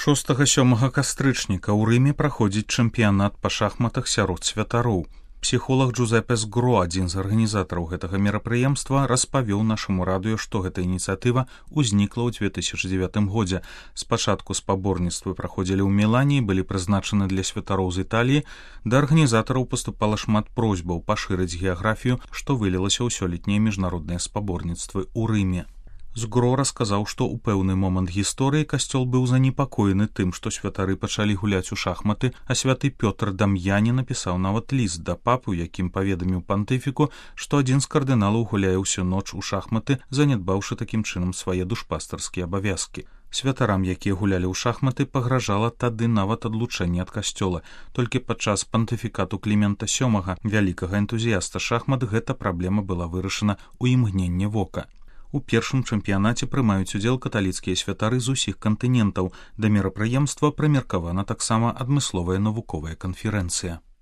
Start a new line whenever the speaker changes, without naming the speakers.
6-7 кастрычніка ў Рыме праходзіць чэмпіянат па шахматах сярод святароў. Псіхолог Джузепе Сгро, адзін з арганізатараў гэтага мерапрыемства, распавёў нашаму радыё, што гэта ініцыятыва ўзнікла ў 2009 годзе. Спачатку спаборніцтвы праходзілі ў Мілане і былі прызначаны для святароў з Італіі. Да арганізатараў паступала шмат просьбаў пашырыць геаграфію, што вылілася ў сёлетнія міжнародныя спаборніцтвы ў Рыме. Згро расказаў, што ў пэўны момант гісторыі касцёл быў занепакоены тым, што святары пачалі гуляць у шахматы, а святы Пётр Дам'яне напісаў нават ліст да папы, якім паведаміў пантыфіку, што адзін з кардыналаў гуляе ўсю ноч у шахматы, занядбаўшы такім чынам свае душпастарскія абавязкі. Святарам, якія гулялі ў шахматы, пагражала тады нават адлучэнне ад касцёла. Толькі падчас пантыфікату Клімента VII, вялікага энтузіяста шахмат, гэта праблема была вырашана ў імгненне вока. У першым чэмпіянаце прымаюць удзел каталіцкія святары з усіх кантынентаў. Да мерапрыемства прымеркавана таксама адмысловая навуковая канферэнцыя.